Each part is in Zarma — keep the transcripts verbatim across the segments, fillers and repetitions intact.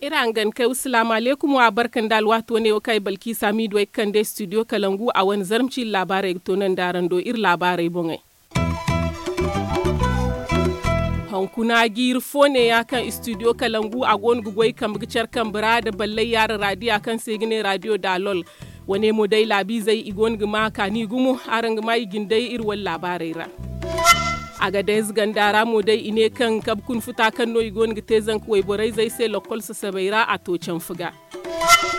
Iri hangan kay wa salaamu aleykum wa barka nda alwaati wane wo kaŋ ay balkiisa miidu ay ga kande studio kalangu a wane zarma ciiri laabaarey ga toonandi araŋ do iri laabaarey boŋey. Hunkuna jiiri fo neeya kaŋ studio kalangu a go no ga goy kambe ga care kambe ra nda ballay yaara raadiya kaŋ se i ga ne raadiyo daalol. Wane mo day laabiizey i go no ga ma kaani gumo araŋ ga ma i jindey iri wane laabaarey ra. Agadez ganda ra mo day i ne kaŋ kabe kuna futa kaŋ no i go no ga te zanka wayborey zey se lokkol sasabey ra a to canfu ga.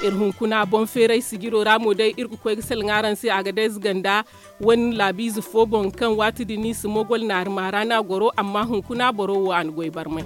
Iri hunkuna boŋ feeray sijiro ra mo day iri ga koy ga salaŋ araŋ se agadez ganda wane laabiize fo boŋ kaŋ waati din i si mogol naari maara no a goro amma hunkuna boro wo a na goy barmay.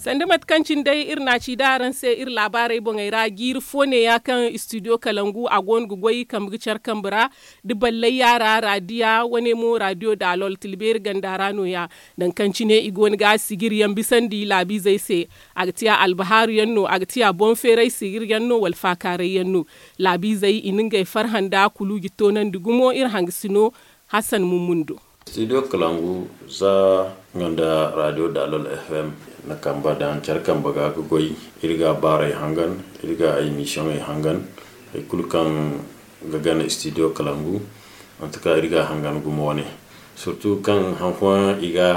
Sanda mate kaŋ cine day iri na a ci da araŋ se iri laabaarey boŋey ra jiiri fo neeya kaŋ studio kalangu a go no ga goy kambe ga care kambe ra da ballay yaara raadiya wane mo raadiyo daalol tilbeeri ganda ra nooya. Nangu kaŋ cine i go no ga sijiri yaŋ bisandi laabiizey se. A ga tiya albahaaru yaŋ no a ga tiya boŋ feeray sijiri yaŋ no wala faakaaray yaŋ no. Laabiizey i na ngey farhã nda kuluuji toonandi gumo iri hangasino. Hassan mummun do. Studio kalangu za nga nda radio dalol fm na kamba daŋ care kambe ga ga goy. Iri ga baarey hangan, iri ga ay misiyoŋey hangan. Hari kulu kaŋ ga gana studio kalangu, manti kaŋ iri ga a hangan gumo wane. Surtu kaŋ hari fooyaŋ i ga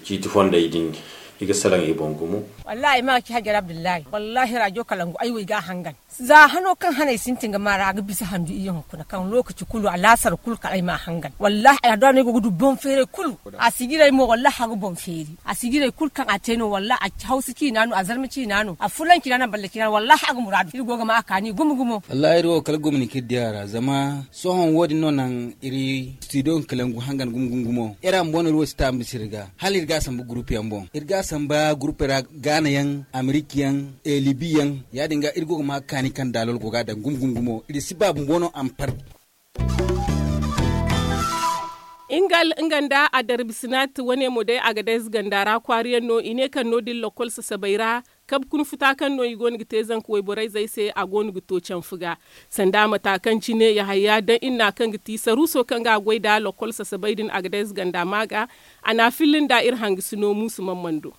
ciiti fondey din, i ga salaŋ i boŋ gumo. Wallahi ay ma ga ci hajjar abdullahi wallahi radio kalangu ay wo i ga a hangan. Za hano kaŋ haney sintin ga maara a ga bisa handu iyyaŋ hunkuna kaŋ lokaci kulu alaasar kulu kala ay ma a hangan wallahi a da no ay go ga du boŋ feeray kulu. A si jiray mo wallahi a ga boŋ feeri a si jiray kulu kaŋ a te no wallahi a hawsa ciina no a zarma ciina no a fulan ciina no a balle ciina no wallahi a ga muraadu iri go ga ma a kaani gumo gumo. Wallahi iri wo kala gomni kaŋ iri di a ra zama sohõ wo- din no naŋ iri studio kalangu hangan gumo gumo gumo iri a ma boŋ no iri wo si taambi siri ga hala iri ga a samba gurupu yaŋ boŋ iri ga a samba gurupu ra gaana yaŋ amerika yaŋ libi yaŋ. Ya- din ga iri go ga ma kaani kaŋ daalol go ga a daŋ gumo gumo gumo iri si ba bumbo no a ma par. Ingal nga nda adarbi sinat wane mo day agadez ganda ra kwaari yaŋ no i ne kaŋ no- din lokkol sasabay ra. Kabe kuna futa kaŋ no i go no ga te zanka wayborey zey se a go no ga to canfu ga. Sanda mata kaŋ cine yahaya daŋ inna kaŋ ga ti saruuso kaŋ ga a goy nda lokkol sasabay din agadez ganda ma ga. A na a filla nda iri hangasino muusu mamman do.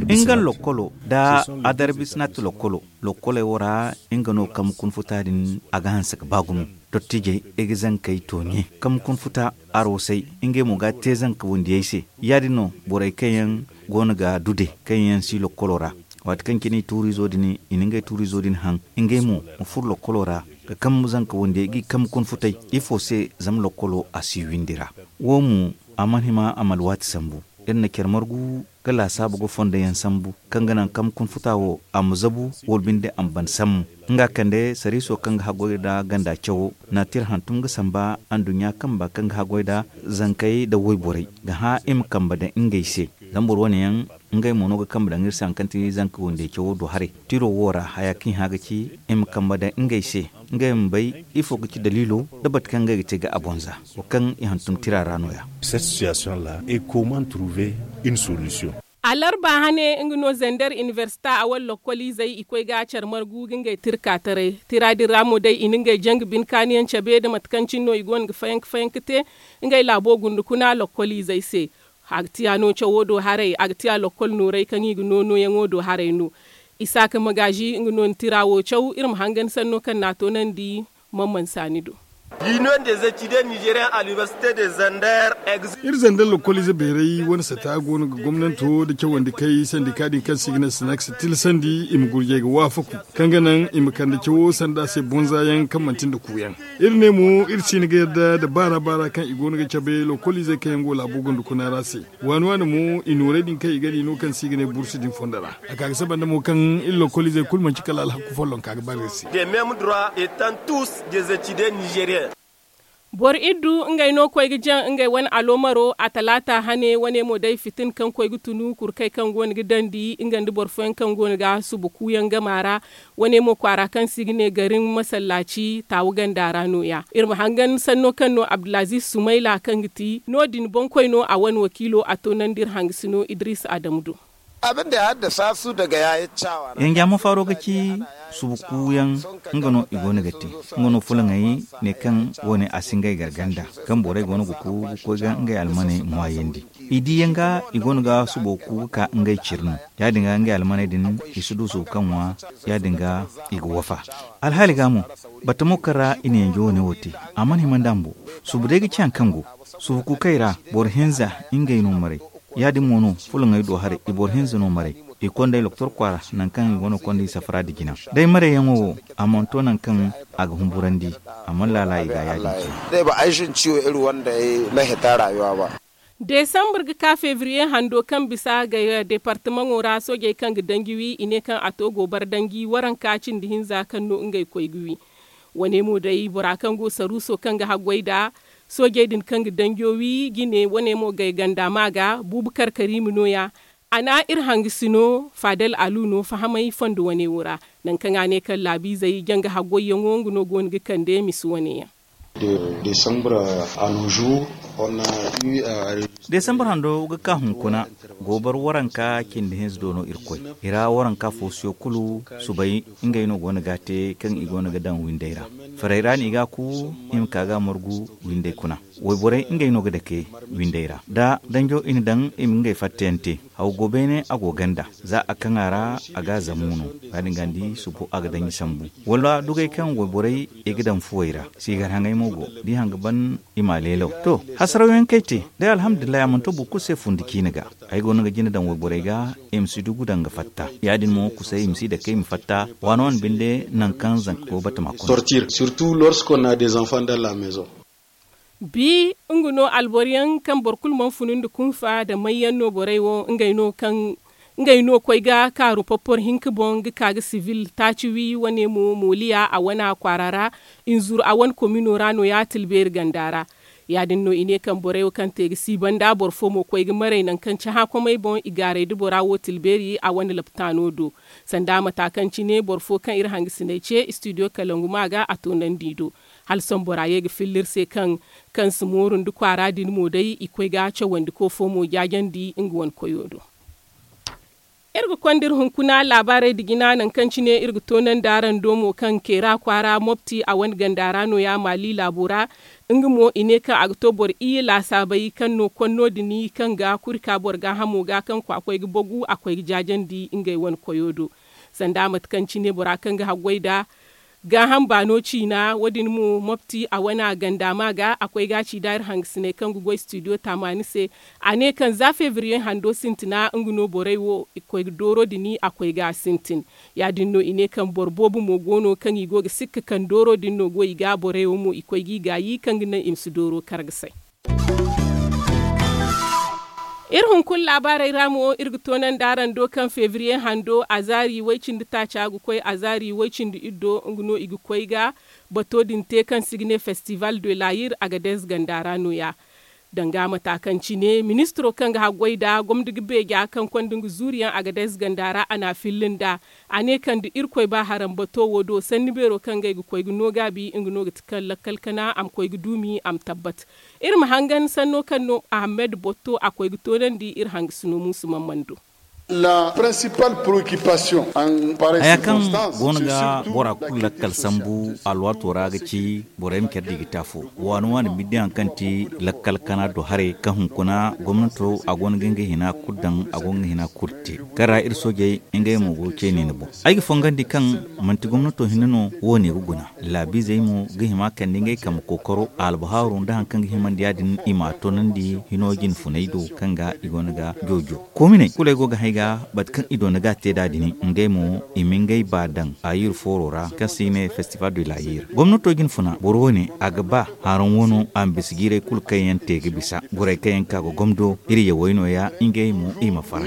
Ingal lokkolo nda adarbi sinat lokkolo lokkoley wo ra nga no kaŋ ma kuna futa din a ga hanse ga ba gumo. Dottijey i ga zankey tooɲe kaŋ ma kuna futa aroosey ngey mo ga a te zanka wandiyey se. Ya- din no borey kaŋ yaŋ go no ga dude kaŋ yaŋ si lokkolo ra waati kaŋ cine i tuuriizo din i na ngey tuuriizo din haŋ ngey mo ma furo lokkolo ra ga kambe zanka wandiyey ga i kambe kuna futey. Ifo se zama lokkolo a si windi ra wo mo a mana hima a ma alwaati sambu. Iri na care margu ga laasaabu ga fondo yaŋ sambu kaŋ ga naŋ kambe kuna futa wo a ma zabu wala binde a ma ban sambu. Nga kande sariiso kaŋ ga haggoy nda ganda cawo na tira hantum ga samba anduɲɲa kamba kaŋ ga haggoy nda zankey nda wayborey ga hã i ma kambe daŋ ngey se. Zama boro wane yaŋ ngey mo no ga kambe daŋ iri se hari kaŋ ti zanka wandey cawo do haray. Tiro wo ra haya kaŋ i hã ga ci i ma kambe daŋ ngey se ngey ma bay ifo ga ci daliilo nda bate kaŋ ngey ga te ga a boŋ za wo kaŋ i hantum tira ra no- ya. Alarba hane nga no zander inibersita a wala lokkoliizey i koy ga care margu ga ngey tirka taray. Tira din ra mo day i na ngey jangu bine kaani yaŋ cabe nda mate kaŋ cine no i go no ga fayanka fayanka te ngey laabo gunda kuna lokkoliizey se. A ga tiya no cawo do haray a ga tiya lokkol noorey kaŋ i ga no nooyaŋo do haray no. Isaaka magaazi nga no na tira wo caw iri ma hangan sanno kaŋ na a toonandi. Mamman saani do. L'union des étudiants nigériens à l'université de zander. Iri zander lokkoliize beeray wane sata go no ga gomnanto nda cawandi kay sandika din kaŋ se i ga ne snacks tilasandi i ma gurjay ga waafaku kaŋ ga naŋ i ma kande cawo sanda se bonza yaŋ kaŋ manti nda kuuyaŋ. Iri ne mo iri si hin ga yadda nda baara baara kaŋ i go no ga cabe lokkoliizey kaŋ yaŋ go laabo gonda kuna ra se. Waani waani mo i nooray din kaŋ i ga di no kaŋ se i ga ne bursu din fondo ra. A ka ga saba nda mo kaŋ iri lokkoliizey kulu manci kala alhakku follonka ga bare iri se. Des mêmes droits étant tous des étudiants nigériens. Boro iddu ngey no koy ga jaŋ ngey wane aloomaro a talaata hane wane mo day fitina kaŋ koy ga tunu kurkey kaŋ go no ga dandi nga nda boro fooyaŋ kaŋ go no ga suba kuuyaŋ gama ra. Wane mo kwaara kaŋ se i ga ne garin masallaaci taawu ganda ra nooya iri ma hangan sanno kaŋ no abdulaziiz sumayla kaŋ ga ti no- din boŋkoy no a wane wakiilo a toonandi iri hangasino idiriisa adamu do. Abin da ya haddasa su daga yayi cawa. Yanja mafaaro ga ci subu kuuyaŋ. Nga no i go no ga te. Nga no fulaŋey ne kaŋ wo- ne a si ngey gar ganda, kaŋ borey go no ga ku ga koy ga ngey almaney ŋwaayandi. I di yaŋ ga i go no ga subo ku ga ka ngey ciri no. Ya- din ga ngey almaney din, i si du subu kaŋ ŋwa. Ya- din ga i ga wafa. Alhaali ga mo, batamo kaŋ ra i na yanjo wane wo te, a mana hima nda mbo. Subu day ga ci hari kaŋ go subu kuukey ra, boro hinza ngey no maray. Ya- din mo no fulaŋey do haray, i boro hinza no maray. I konda i loktor kwaara, nangu kaŋ i go no ga konda i safara nda jina. Day marayyaŋo wo, a mana to nangu kaŋ a ga humburandi. A mana laala i ga ya- din cine. Day ba ay shin ciwo iri wanda ya lahita rayuwa ba. Desambur ga ka fevriye hando kaŋ bisa ga deepartamaŋo ra soojey kaŋ ga danji wi i ne kaŋ a to goobara danji waranka cindi hinza kaŋ no ngey koy ga wi. Wane mo day bora kaŋ go saruuso kaŋ ga haggoy nd'a soojey din kaŋ ga danjo wi jine wane mo gay ganda ma ga buubu karkari ma no- ya. A na iri hangasino faadal alu no fahamay fondo wane wo ra, nangu kaŋ a ne kaŋ laabiizey janga haggoyyaŋo nga no go no ga kande misa wane yaŋ. Desambur hando ga ka hunkuna, goobar waranka cindi hinza do no iri koy. I ra waranka foosiyo kulu subay ngey no go no ga a te kaŋ i go no ga daŋ windey ra. Farey ra no i ga a ku, i ma ka ga a margu windey kuna. Wayborey ngey no ga dake windey ra da danjo i na daŋ i ma ngey fattayaŋ te. Haw go beene a go ganda, za a kaŋ a ra, a ga a zammu no. Ya- din ga ni di subo a ga daŋ i sambu. Wala dugay kaŋ wayborey i ga daŋ fuwey ra, siigar haŋay mo go. Da i hanga ban, i m'a leelaw to. Hasarawyaŋ kaŋ ay te, day alhamdulillahi a mana to boro kulu se fundi ciine ga. Ay go no ga jina daŋ wayborey ga, i ma si dugu daŋ ga fatta. Ya- din mo kusay i ma si dake i ma fatta. Waano wane binde nangu kaŋ zanka go batama kuna. Sortir surtout lorsqu'on a des enfants dans la maison. Bi nga no alboro yaŋ kaŋ boro kulu mana funu nda kunfa nda mayyaŋ no borey wo ngey no kaŋ ngey no koy ga kaaru popporo hinka boŋ ga ka ga sivil taaci wi wane mo mooliya a wane kwaara ra. Inzuru a wane komino ra no ya tilbeeri ganda ra. Ya- din no i ne kaŋ borey wo kaŋ te ga si banda boro fo mo koy ga maray nangu kaŋ cahã komey boŋ i gaaray nda bora wo tilbeeri a wane laptaano do. Sanda mata kaŋ cine boro fo kaŋ iri hangasiney ce istidiyo kalangu ma ga a toonandi i do. Hala sohõ bora ye ga filla iri se kaŋ kaŋ si mooru nda kwaara din mo day i koy ga cawandiko fo mo jaajandi nga wane koyo do. Iri ga konda iri hunkuna laabaarey nda jina nangu kaŋ cine iri ga toonandi araŋ do mo kaŋ keera kwaara mopti a wane ganda ra no- ya maali laabo ra. Nga mo i ne kaŋ a ga to boro iyye laasaabey kaŋ no konno din kaŋ ga kuri ka boro gaahamo ga kaŋ kwaakoy ga bagu a koy ga jaajandi ngey wane koyo do. Sanda mate kaŋ cine bora kaŋ ga haggoy nda gaaham baano ciina wo- din mo mopti a wane a ganda ma ga a koy ga a ci nda iri hangasiney kaŋ ga goy studio taamaani se. A ne kaŋ za febriye hando sintina nga no borey wo i koy ga dooro din a koy ga a sintin. Ya- din no i ne kaŋ boro boobo mo go no kaŋ i go ga sikka kaŋ dooro din no go i ga borey wo mo i koy ga i gaayi kaŋ ga naŋ i ma si dooro kar ga say. Iri hunkuna laabaarey ra mo iri ga toonandi araŋ do kaŋ febriye hando azaari way-cindi taaca ga koy azaari way-cindi iri do nga no i ga koy ga bato din te kaŋ se i ga ne festival de layir agadez ganda ra no- ya. Danga mata kaŋ cine ministiro kaŋ ga haggoy nda gomni ga beeja kaŋ konda nga zuuriyaŋ agadez ganda ra a n'a filla nd'a. A ne kaŋ da irkoy ba haram bato wo do sanni beero kaŋ ngey ga koy ga no gaabi nga no ga ti kaŋ lakkal kana a ma koy ga duumi a ma tabbat. Iri ma hangan sanno kaŋ no ahamed botto a koy ga toonandi iri hangasino muusu mamman do. Haya kaŋ go no ga bora kulu lakkal sambu alwaato ra ga ci borey ma care da i ga te afo. Waani waani binde hari kaŋ ti lakkal kana do haray kaŋ hunkuna gomnato a go no ga nga hina kulu daŋ a go ga nga hina kulu te kaŋ ra iri soojey ngey mo go ceeni ni boŋ. Ay ga fongandi kaŋ manti gomnato hinne no wo- ne ga guna. Laabiizey mo ga hima kande ngey kambe kookaro albahaaru nda hari kaŋ ga himandi ya- din i m'a toonandi hino jine funay do kaŋ ga i go no ga joojo. Koominey kulu ay go ga hay ga bate kaŋ i doona ga a te nd'a din ngey mo i ma ngey ba daŋ a yir fooro ra kaŋ se i ne festival de la yir gomnato jine funa boro wo- ne a ga ba haraŋ wano a ma bisa jiirey kulu kaŋ yaŋ te ga bisa borey kaŋ yaŋ ka ga gomdo iri yawey no- ya ngey mo i ma farhã.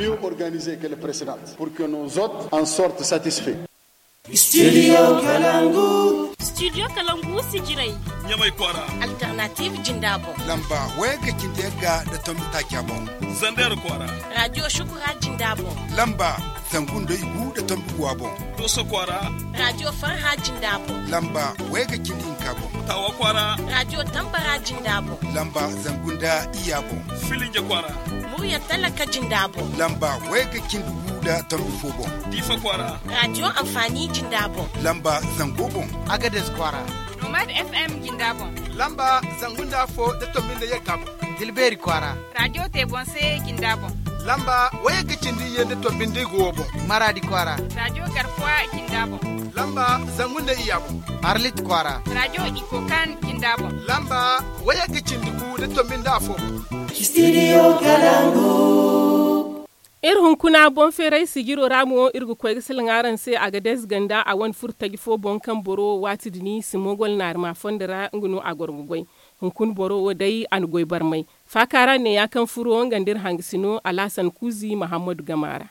Studio kalangu. Studio kalangu sijirey. Ɲamay kwaara. Alternative jinda boŋ. Lamba wayagga cindi yagga nda tombi taaca boŋ. Zander kwaara. Radio shukura jinda boŋ. Lamba. Zangu nda igu nda tombi guwa boŋ. Dooso kwaara. Raadiyo farha jinda boŋ. Lamba wayga cindi hinka boŋ. Taawa kwaara. Raadiyo tambara jinda boŋ. Lamba zangu nda iyya boŋ. Filinja kwaara. Murya talaka jinda boŋ. Lamba wayga cindi gu nda tombi fo boŋ. Diifa kwaara. Raadiyo anfaani jinda boŋ. Lamba zango boŋ. Agades kwaara. Nomad fm jinda boŋ. Lamba zangu nda afo nda tombi nda yagga boŋ. Dilbeeri kwaara. Raadiyo te boŋ se jinda boŋ. Lamba wayagga cindi iyye nda tombi nda igu wo boŋ. Maraadi kwaara. Raadiyo garkuwa jinda boŋ. Lamba zangu nda iyya boŋ. Arlit kwaara. Raadiyo ikokan jinda boŋ. Lamba wayagga cindi gu nda tombi nda afo boŋ. Studio kalangu. Iri hunkuna boŋ feeray sijiro ra mo iri ga koy ga salaŋ araŋ se a ga dees ganda a wane furo taji fo boŋ kaŋ boro waati din simogol naarima fondo ra nga no a goro ga goy. Hunkuna boro wo day a na goy barmay. Faaka ra neeya kaŋ furo nga nda iri hangasino alhasan kuuzi mahammadu gama ra.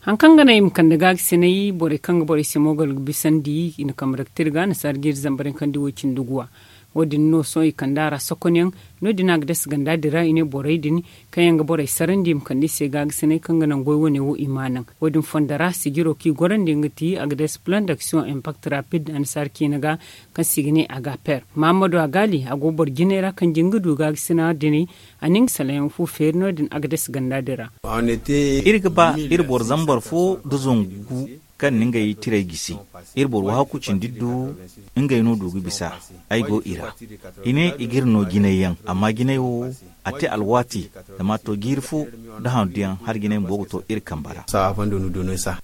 Hari kaŋ ga naŋ i ma kande gaagisinay borey kaŋ ga borey simogol ga bisandi i na kambe daga tirga nasaara jiiri zambar yaŋ kaŋ di woy cindi guwa. Wo- din no sohõ i kand'a ra sokonyaŋ. No- din a ga dasa ganda din ra i ne borey din kaŋ yaŋ ga borey sarandi i ma kande i se gaagisinay kaŋ ga naŋ goy wane wo i m'a naŋ. Wo- din fondo ra sijiro kaŋ i gorandi nga ti a ga dasa plan d'action impact rapid annasaara ciine ga kaŋ se i ga ne a ga a per mahammadu a gaali a go boro jinay ra kaŋ jin ga du gaagisina dinay. A na nga salayaŋ fu feeri no- din a ga dasa ganda din ra. Iri ga ba iri boro zambar fo nda zangu kaŋ na ngey tirey gisi. Iri boro wahakku cindi du ngey no du ga bisa. Ay go i ra i ne i ga iri no jinay yaŋ amma jinay wo a te alwaati zama a to jiiri fo nda handu yaŋ hala jinay bumbo ga to iri kambe ra.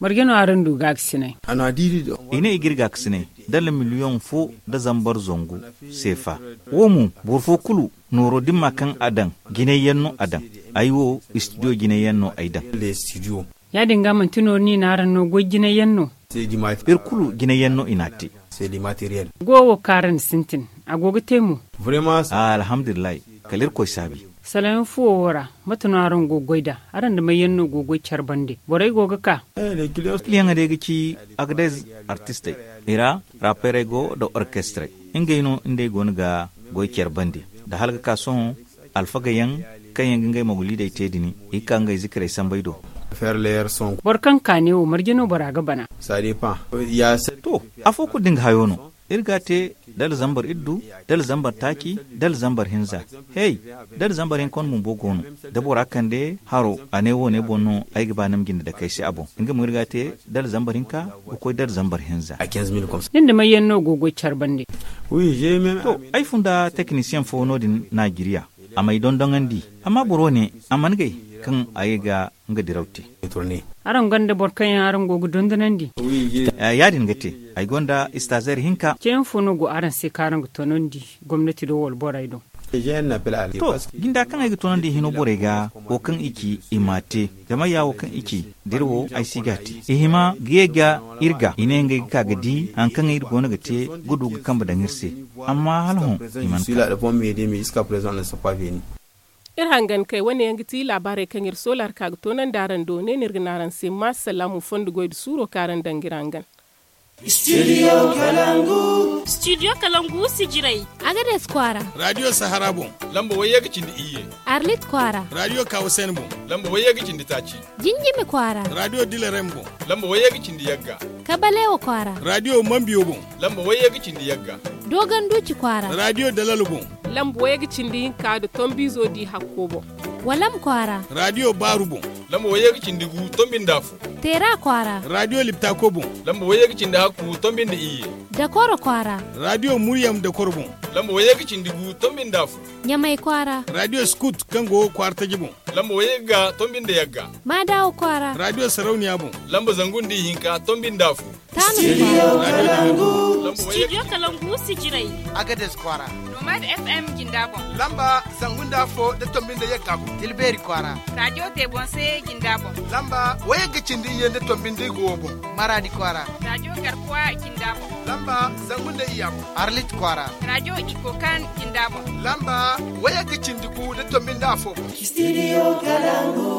Marje no araŋ du gaakasinay? I ne i ga iri gaakasinay dala miliyoŋ fo nda zambar zangu seefa. Wo mo boro fo kulu nooro dimma kaŋ a daŋ jinay yaŋ no a daŋ. Ay wo istidiyo jinay yaŋ no ay daŋ. Ya- din ga manti nooro no i na araŋ no goy jinay yaŋ no? Iri kulu jinay yaŋ no i n'a te. Go wo kaŋ araŋ na sintin a go ga te mo? Alhamdulillahi. Kala irkoy saabi. Sala yaŋ fuwo wo ra mate no araŋ go ga goy nd'a? Araŋ nda may yaŋ no go ga goy care bande borey go ga ka? Kiliyaŋey day ga ci agadez artistey i ra, raperey go nda orkestrey. Ngey no nd'ey go no ga goy care bande nda hala ga ka sohõ alfaga yaŋ kaŋ yaŋ ga ngey mogoliidey te din i ga ka ngey zikirey sambey do. Boro kaŋ ka ne wo marje no bora ga bana? To, afo kulu da nga hayo no. Iri ga a te dala zambar iddu, dala zambar taaci, dala zambar hinza. Hey, dala zambar hinka wane bumbo go no. Da bora kande haro a ne wo- ne boŋ no ay ga ba ni ma jinde dake ay se a boŋ. Nga mo iri ga a te dala zambar hinka ga koy dala zambar hinza. Nin da may yaŋ no go ga goy care bande? To, ay fun da tekinisiyeŋ fo no- din najeriya. A m'ay dondoŋandi. Amma boro ne a mana gay kaŋ a ye ga nga diraw te. Araŋ gonda boro kaŋ yaŋ araŋ go ga dondonandi? Ya- din ga te. Ay gonda istaazer hinka. Ceeyaŋ fo no go araŋ se kaŋ araŋ ga tonandi gomnati do wala borey do? To, jinda kaŋ ay ga tonandi hino borey ga wo kaŋ i ci i m'a te. Zama ya wo kaŋ i ci da iri wo ay si ga a te. I hima ga ye ga iri ga i ne ngey ga ka ga di hari kaŋ iri go no ga te ga du ga kambe daŋ iri se. Amma hala hõ i mana ka. Iri hangan kay wane yaŋ ga ti laabaarey kaŋ iri soola ra ka ga toonandi araŋ do ne no iri ga ne araŋ se maasalamu fondo goy nda suuro kaŋ araŋ daŋ ga iri hangan. Studio kalangu. Studio kalangu sijirey. Agades kwaara. Raadiyo sahara boŋ. Lamba wayye ga cindi iyye. Arlit kwaara. Raadiyo kawasen boŋ. Lamba wayye ga cindi taaci. Jinjimi kwaara. Raadiyo dilarem boŋ. Lamba wayye ga cindi yagga. Kabalewa kwaara. Raadiyo mambiyo boŋ. Lamba wayye ga cindi yagga. Dogon duuci kwaara. Raadiyo dalalo boŋ. Lamba wayye ga cindi hinka nda tombiizo di hakko boŋ. Walam kwaara. Raadiyo baaru boŋ. Lamba wayye ga cindi gu tombi nda afo. Teera kwaara. Raadiyo liptako boŋ. Lamba wayye ga cindi hakku tombi nda iyye. Dakoro kwaara. Raadiyo muryam dakoro boŋ. Lamba wayye ga cindi gu tombi nda afo. Ɲamay kwaara. Raadiyo skut kaŋ go kwaara taji boŋ. Lamba wayye ga tombi nda yagga. Maadawa kwaara. Raadiyo sarauniya boŋ. Lamba zangu nda ihinka tombi nda afo. Studio kalangu sijirey. Agades kwaara. Nomad fm jinda boŋ. Lamba zangu nda afo nda tombi nda yagga boŋ. Tilbeeri kwaara. Raadiyo te boŋ se jinda boŋ. Lamba wayagga cindi iyye nda tombi nda igu wo boŋ. Maraadi kwaara. Raadiyo garkuwa jinda boŋ. Lamba zangu nda iyya boŋ. Arlit kwaara. Raadiyo ikokan jinda boŋ. Lamba wayagga cindi gu nda tombi nda afo boŋ. Studio kalangu.